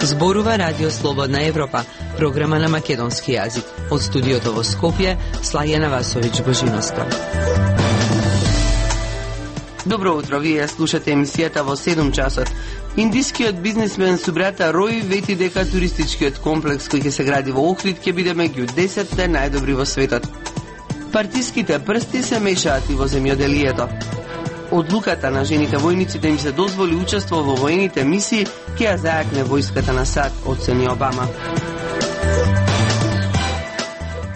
Зборува Радио Слободна Европа, програма на македонски јазик. Од студиото во Скопје, Слајана Васовиќ-Божиновска. Добро утро, вие слушате емисијата во 7 часот. Индискиот бизнисмен со брата Рој вети дека туристичкиот комплекс кој ќе се гради во Охрид ќе биде меѓу 10 најдобри во светот. Партиските прсти се мешаат и во земјоделието. Одлуката на жените војници да им се дозволи учество во воените мисии ќе ја зајакне војската на САД, оцени Обама.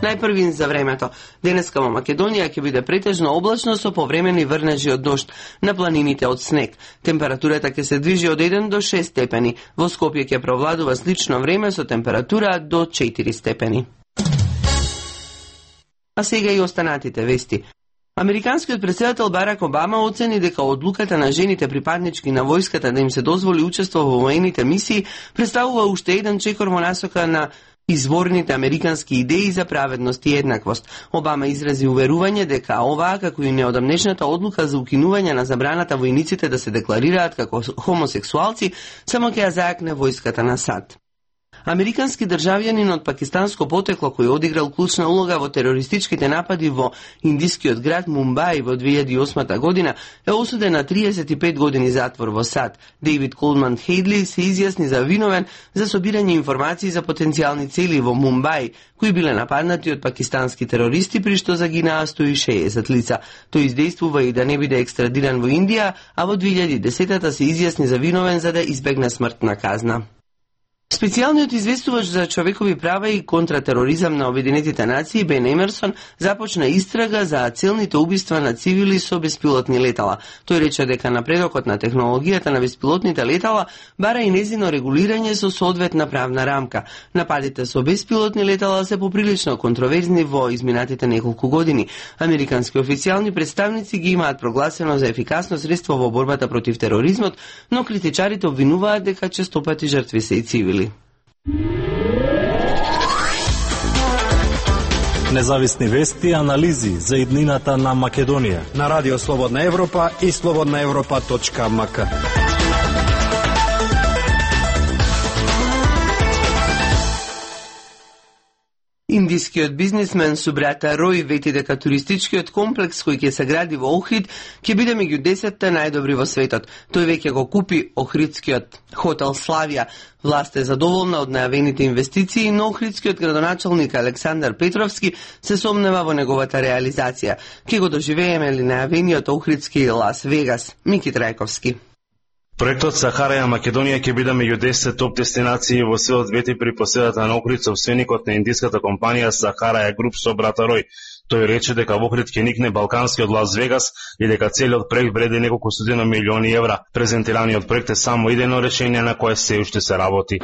Најпрвин за времето. Денеска во Македонија ќе биде претежно облачно со повремени врнежи од дожд, на планините од снег. Температурата ќе се движи од 1 до 6 степени. Во Скопје ќе провладува слично време со температура до 4 степени. А сега и останатите вести. Американскиот претседател Барак Обама оцени дека одлуката на жените припаднички на војската да им се дозволи учество во воените мисии представува уште еден чекор во насока на изворните американски идеи за праведност и еднаквост. Обама изрази уверување дека оваа, како и неодамнешната одлука за укинување на забраната војниците да се декларираат како хомосексуалци, само ќе ја зајакне војската на САД. Американски државјанин од пакистанско потекло кој одиграл клучна улога во терористичките напади во индискиот град Мумбај во 2008 година е осуден на 35 години затвор во САД. Дейвид Колман Хейдли се изјасни за виновен за собирање информации за потенцијални цели во Мумбај, кои биле нападнати од пакистански терористи, при што загинаа 160 лица. Тој издействува и да не биде екстрадиран во Индија, а во 2010-та се изјасни за виновен за да избегне смртна казна. Специјалниот известувач за човекови права и контратероризам на Обединетите нации Бен Емерсон започна истрага за целните убиства на цивили со беспилотни летала. Тој рече дека напредокот на технологијата на беспилотните летала бара и незино регулирање со соодветна правна рамка. Нападите со беспилотни летала се поприлично контроверзни во изминатите неколку години. Американски официјални представници ги имаат прогласено за ефикасно средство во борбата против тероризмот, но критичарите обвинуваат дека честопати жртви се и цивили. Независни вести и анализи за иднината на Македонија на Радио Слободна Европа и slobodnaevropa.mk. Индискиот бизнисмен со брата Рој вети дека туристичкиот комплекс кој ќе се гради во Охрид ќе биде меѓу 10 најдобри во светот. Тој веќе го купи Охридскиот хотел Славија. Власт е задоволна од најавените инвестиции, но охридскиот градоначалник Александар Петровски се сомнева во неговата реализација. Ке го доживееме ли најавениот охридски Лас Вегас? Мики Трајковски. Проектот Сахара ја Македонија ќе биде меѓу 10 топ дестинации во светот, вети при поседата на Охрид собственикот на индиската компанија Сахара ја Груп со брата Рој. Тој рече дека во Охрид ќе никне балканскиот Лас Вегас и дека целиот проект вреди неколку стотина милиони евра. Презентираниот проект е само идејно решение на кое се уште се работи.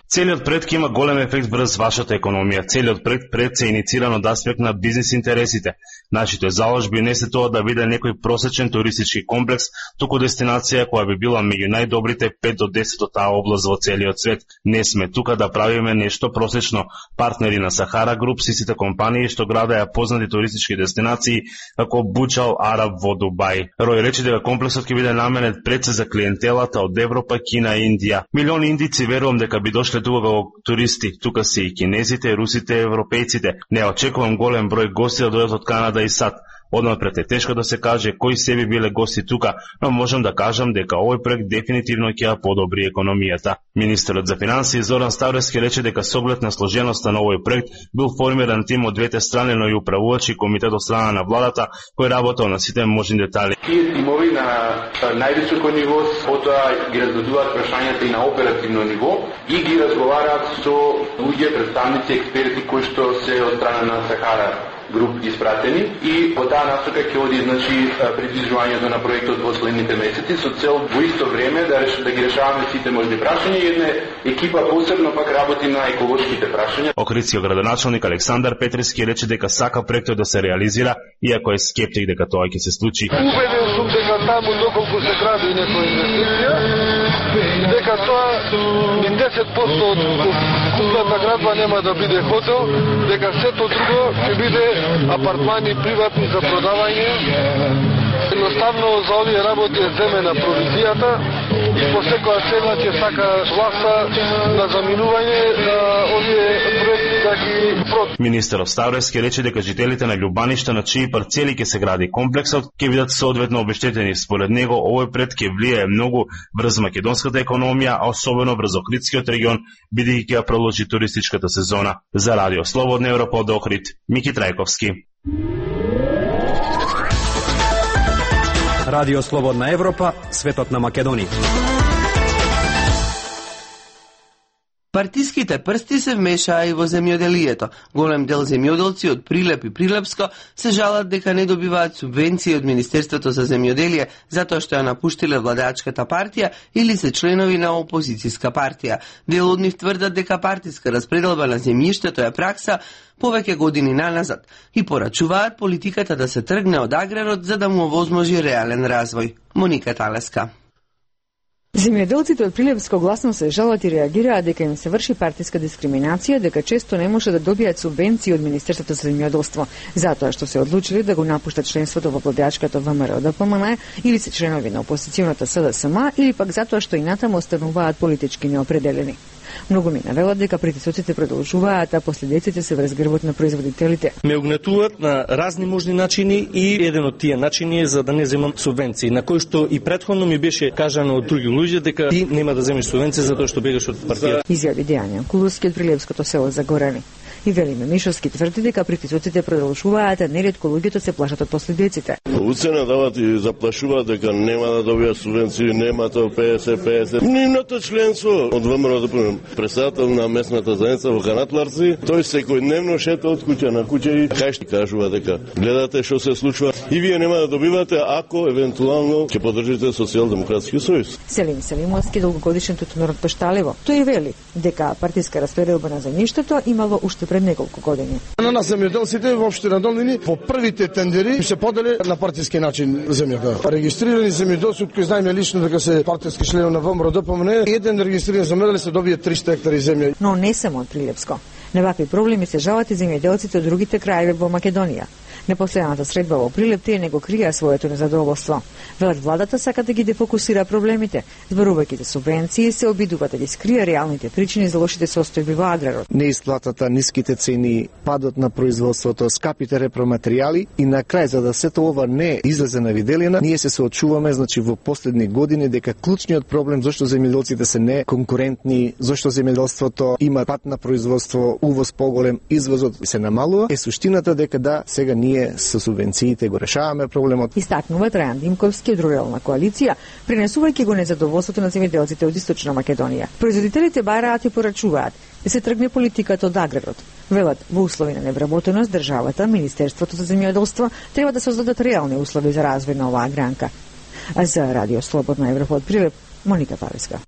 Целиот проект има голем ефект врз вашата економија. Целиот проект се инициран од аспект на бизнис интересите. Нашите заложби не се тоа да биде некој просечен туристички комплекс, туку дестинација која би била меѓу најдобрите 5 до 10 од таа област во целиот свет. Не сме тука да правиме нешто просечно. Партнери на Сахара Груп се сите компании што градаја познати туристички дестинации како Буџал Араб во Дубај. Рој рече дека комплексот ќе биде наменет пред се за клиентелата од Европа, Кина и Индија. Милиони индици верувам дека би дошле тука како туристи. Тука се и кинезите, русите, европејците. Не очекувам голем број гости да дојдат од Канада и САД. Однапред е тешко да се каже кои се би биле гости тука, но можам да кажам дека овој проект дефинитивно ќе ја подобри економијата. Министерот за финансии Зоран Ставровски рече дека со оглед на сложеноста на овој проект бил формиран тим од двете страни, но и управувачи комитет од страна на владата кој работел на сите можни детали. Тие тимови на највисоко ниво потоа ги разгледуваат прашањата и на оперативно ниво и ги разговараат со луѓе, представници, експерти кои што се од страна на Сахара Груп испратени и по таа насока ќе оди придвижувањето на проектот во следните месеци со цел во исто време да ги решаваме сите можни прашања и една екипа посебно пак работи на еколошките прашања. Охридскиот градоначалник Александар Петровски рече дека сака проектот да се реализира, иако е скептик дека тоа ќе се случи. Убеден сум дека таму доколку се гради некоја инвестиција, дека тоа ни 10% од купната градба нема да биде хотел, дека сето друго ќе биде апартмани приватни за продавање Едноставно за овие работи е земена провизијата и по секоја цена ќе сака власта на заминување на овие проекти да ги проти. Министерот Ставровски рече дека жителите на Љубаништа на чии парцели ќе се гради комплексот ќе бидат соодветно обештетени. Според него овој пред ќе влијае многу врз македонската економија, а особено врз Охридскиот регион, бидејќи ќе продолжи туристичката сезона. За Радио Слободна Европа од Охрид, Мики Трајковски. Радио Слободна Европа, светот на Македонија. Партиските прсти се вмешаа и во земјоделието. Голем дел земјоделци од Прилеп и Прилепско се жалат дека не добиваат субвенции од Министерството за земјоделие затоа што ја напуштиле владеачката партија или се членови на опозицијска партија. Дел од нив тврдат дека партиска распределба на земјиштето е пракса повеќе години наназад и порачуваат политиката да се тргне од аграрот за да му овозможи реален развој. Моника Талеска. Земјоделците од Прилепско гласно се жалат и реагираат дека им се врши партиска дискриминација, дека често не може да добијат субвенции од Министерството за земјоделство, затоа што се одлучили да го напуштат членството во владеачката ВМРО-ДПМН или се членови на опозиционата СДСМ или пак затоа што и натаму остануваат политички неопределени. Многу ми навелат дека притисоците продолжуваат, а последиците се врз грбот на производителите. Ме угнетуваат на разни можни начини и еден од тие начини е за да не земам субвенции, на кој што и претходно ми беше кажано од други луѓе дека ти нема да земеш субвенции затоа што бегаш од партијата. Изјави Дејан Куловски од Прилепското село Загорани. И Велиме Мишовски тврди дека притисоците продолжуваат, а неретко луѓето се плашат од последиците. Уцена дават и заплашуваат дека нема да добијат субвенции, нема тоа 50-50. Нивното членство од ВМРО председател на местната заедница во Канатларци, тој секојдневно шета од куќа на куќа и кај што кажува дека гледате што се случува и вие нема да добивате ако евентуално ќе поддржите Социјалдемократски сојуз. Селим Селимовски, долгогодишен тутунар од Пешталево, тој вели дека партиска распределба на земјиштето имало уште пред неколку години. На нас земјоделците во општина Долнини по првите тендери се подели на партиски начин земјата. Регистрирани земјоделци од кои знаеме лично дека се партиски членови на ВМРО-ДПМН, еден регистриран земјоделец се добие 300 хектари земја. Но не само од Прилепско. На вакви проблеми се жалат и земјоделците од другите краеви во Македонија. Непоследната средба во Прилеп тие не го криеа своето незадоволство. Велат владата сака да ги дефокусира проблемите, зборувајќи за субвенции се обидува да ги скрие реалните причини за лошите состојби во аграрот. Неисплатата, ниските цени, падот на производството, скапите репроматеријали и на крај за да сето ова не излезе на виделина, ние се соочуваме во последни години дека клучниот проблем зашто земјоделците се неконкурентни, зашто земјоделството има пат на производство, увоз поголем, извозот се намалува, е суштината дека да сега ние со субвенциите го решаваме проблемот. Истакнува Трајан Димковски од Рурална коалиција, пренесувајќи го незадоволството на земјоделците од Источна Македонија. Производителите бараат и порачуваат да се тргне политиката од аграрот. Велат, во услови на невработеност, државата, Министерството за земјоделство треба да создадат реални услови за развој на оваа гранка. А за Радио Слободна Европа од Прилеп, Моника Павеска.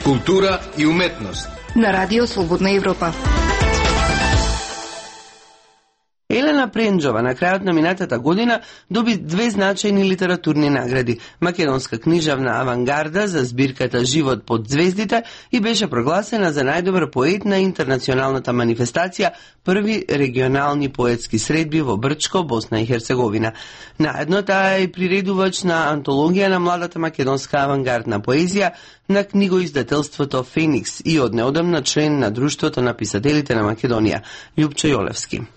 Култура и уметност на Радио Слободна Европа. Елена Пренџова на крајот на минатата година доби 2 значајни литературни награди. Македонска книжевна авангарда за збирката Живот под звездите и беше прогласена за најдобар поет на интернационалната манифестација Први регионални поетски средби во Брчко, Босна и Херцеговина. Наедно таа е приредувач на антологија на младата македонска авангардна поезија на книгоиздателството Феникс и од неодамна член на Друштвото на писателите на Македонија, Љупчо Јолевски.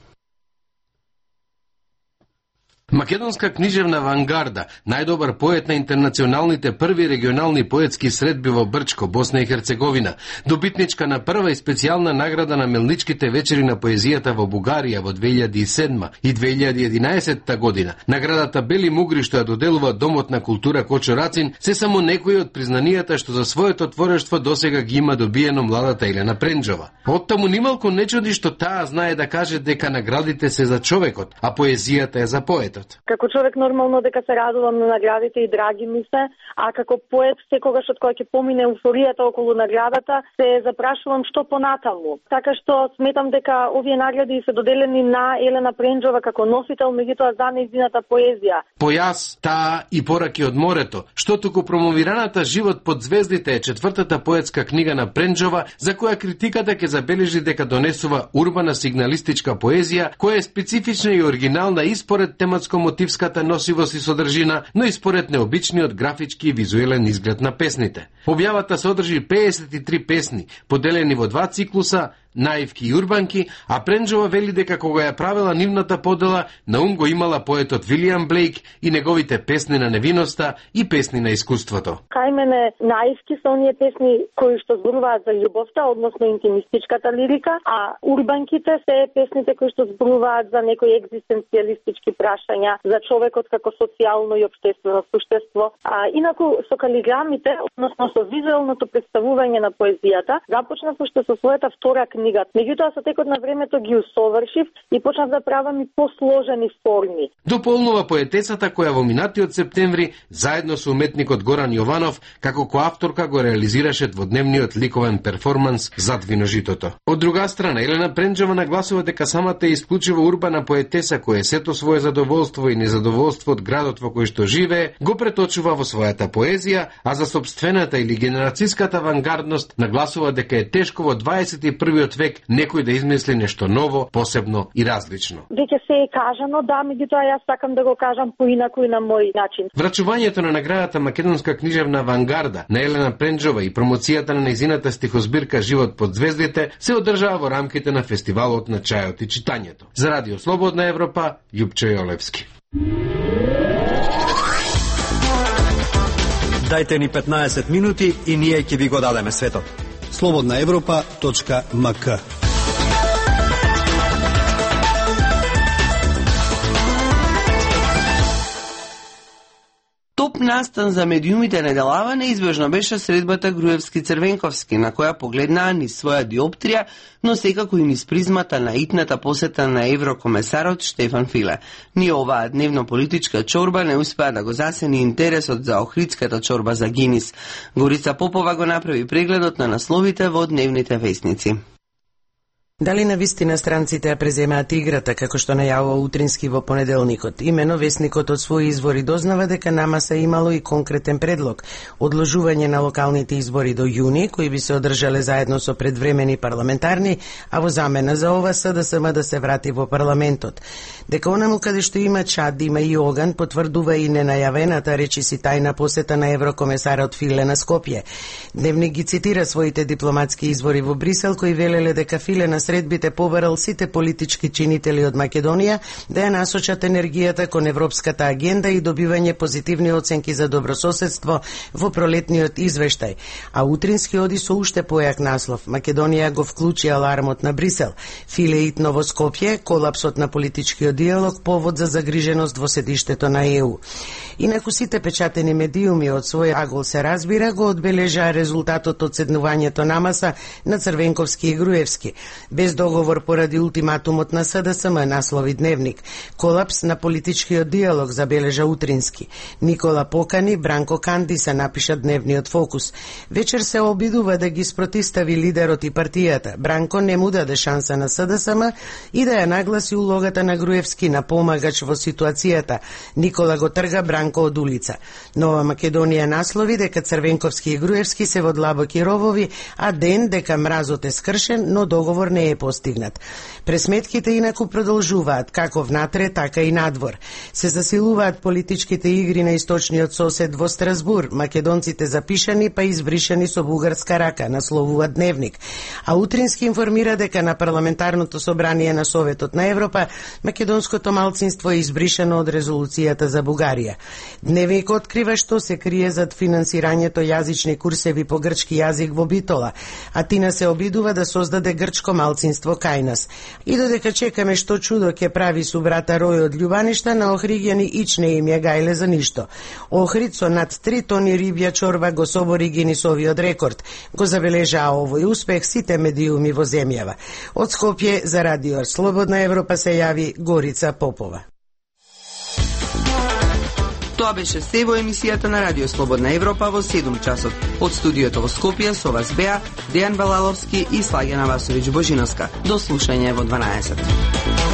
Македонска книжевна авангарда, најдобар поет на интернационалните први регионални поетски средби во Брчко, Босна и Херцеговина, добитничка на прва и специјална награда на Мелничките вечери на поезијата во Бугарија во 2007 и 2011 година. Наградата Бели мугри што ја доделува Домот на култура Кочо Рацин се само некои од признанијата што за своето творештво досега ги има добиено младата Елена Пренџова. Оттаму нималку не чуди што таа знае да каже дека наградите се за човекот, а поезијата е за поетот. поетот. Како човек нормално дека се радувам на наградите и драги ми се, а како поет секогаш од кога ќе помине еуфоријата околу наградата, се запрашувам што понатаму. Така што сметам дека овие награди се доделени на Елена Пренџова како носител, меѓутоа за нејзината поезија. Појас, таа и пораки од морето, што туку промовираната Живот под звездите е четвртата поетска книга на Пренџова, за која критиката ќе забележи дека донесува урбана сигналистичка поезија, која е специфична и оригинална и според тематско-мотивската носивост и содржина, но и според необичниот графички и визуелен изглед на песните. Објавата содржи 53 песни, поделени во два циклуса, наивки и урбанки, а Пренџова вели дека кога ја правела нивната подела, на ум го имала поетот Вилијам Блейк и неговите песни на невиноста и песни на искуството. Кај мене наивки се оние песни кои што зборуваат за љубовта, односно интимистичката лирика, а урбанките се песните кои што зборуваат за некои екзистенцијалистички прашања, за човекот како социјално и општествено суштество. А инаку со калиграмите, односно со визуелното представување на поезијата, започнав уште со својата втора книга. Меѓутоа со текот на времето ги усовршив и почнав да правам и посложени форми. Дополнува поетесата која во минатиот септември заедно со уметникот Горан Јованов како коавторка го реализираше дводневниот ликовен перформанс Зад виножитото. Од друга страна, Елена Пренџова нагласува дека самата е исклучиво урбана поетеса која сето свое задоволство и незадоволство од градот во кој што живее го преточува во својата поезија, а за собствената или генерацијската авангардност нагласува дека е тешко во 21 век некој да измисли нешто ново, посебно и различно. Веќе се е кажано, да, меѓутоа јас сакам да го кажам поинаку и на мој начин. Врачувањето на наградата Македонска книжевна авангарда на Елена Пренџова и промоцијата на нејзината стихозбирка Живот под звездите се одржава во рамките на фестивалот на чајот и читањето. За Радио Слободна Европа, Љупчо Јолевски. Дайте ни 15 минути и ние ќе ви го дадеме светот. slobodnaevropa.mk. Топ настан за медиумите неделава неизбежно беше средбата Груевски-Црвенковски, на која погледнаа низ своја диоптрија, но секако и низ призмата на итната посета на еврокомесарот Штефан Филе. Ни оваа дневно-политичка чорба не успеа да го засени интересот за охридската чорба за Гинис. Горица Попова го направи прегледот на насловите во дневните весници. Дали на вистина странците ја преземаат играта, како што најавува Утрински во понеделникот? Имено весникот од своји извори дознава дека намаса имало и конкретен предлог – одложување на локалните избори до јуни, кои би се одржале заедно со предвремени парламентарни, а во замена за ова СДСМ да се врати во парламентот. Дека онаму каде што има чад, има и оган, потврдува и ненајавената речиси тајна посета на еврокомесарот Филе на Скопје. Дневник ги цитира своите дипломатски извори во Брисел, кои велеле дека Филе на средбите побарал сите политички чинители од Македонија да ја насочат енергијата кон европската агенда и добивање позитивни оценки за добрососедство во пролетниот извештај. А Утрински оди со уште појак наслов. Македонија го вклучи алармот на Брисел. Филе итно во Скопје, колапсот на политичкиот диалог, повод за загриженост во седиштето на ЕУ. Инаку сите печатени медиуми од свој агол се разбира го одбележаа резултатот од седнувањето намаса на Црвенковски и Груевски. Без договор поради ултиматумот на СДСМ, наслови Дневник. Колапс на политичкиот диалог, забележа Утрински. Никола покани Бранко Канди, се напиша Дневниот Фокус. Вечер се обидува да ги спротистави лидерот и партијата. Бранко не му даде шанса на СДСМ и да ја нагласи улогата на Груевски на помагач во ситуацијата. Никола го трга Бранко од улица. Нова Македонија наслови дека Црвенковски и Груевски се во длабоки ровови, а ден дека мразот е скршен, но договор не е постигнат. Пресметките инаку продолжуваат, како внатре, така и надвор. Се засилуваат политичките игри на источниот сосед во Страсбур, македонците запишани па избришани со бугарска рака, насловува Дневник. А Утрински информира дека на парламентарното собрание на Советот на Европа македонското малцинство е избришано од резолуцијата за Бугарија. Дневник открива што се крие зад финансирањето јазични курсеви по грчки јазик во Битола, а Тина се обидува да создаде грчко малцинство кај нас. И додека чекаме што чудо ќе прави со брата Рој од Љубаништа, на охриѓани ич не им ја гајле за ништо. Охрид со над 3 тони рибја чорба го собори Гинисовиот рекорд. Го забележаа овој успех сите медиуми во земјава. Од Скопје за Радио Слободна Европа се јави Горица Попова. Тоа беше се во емисијата на Радио Слободна Европа во 7 часот. Од студиото во Скопје со вас беа Дејан Балаловски и Слагена Васовиќ Божиновска. До слушање во 12.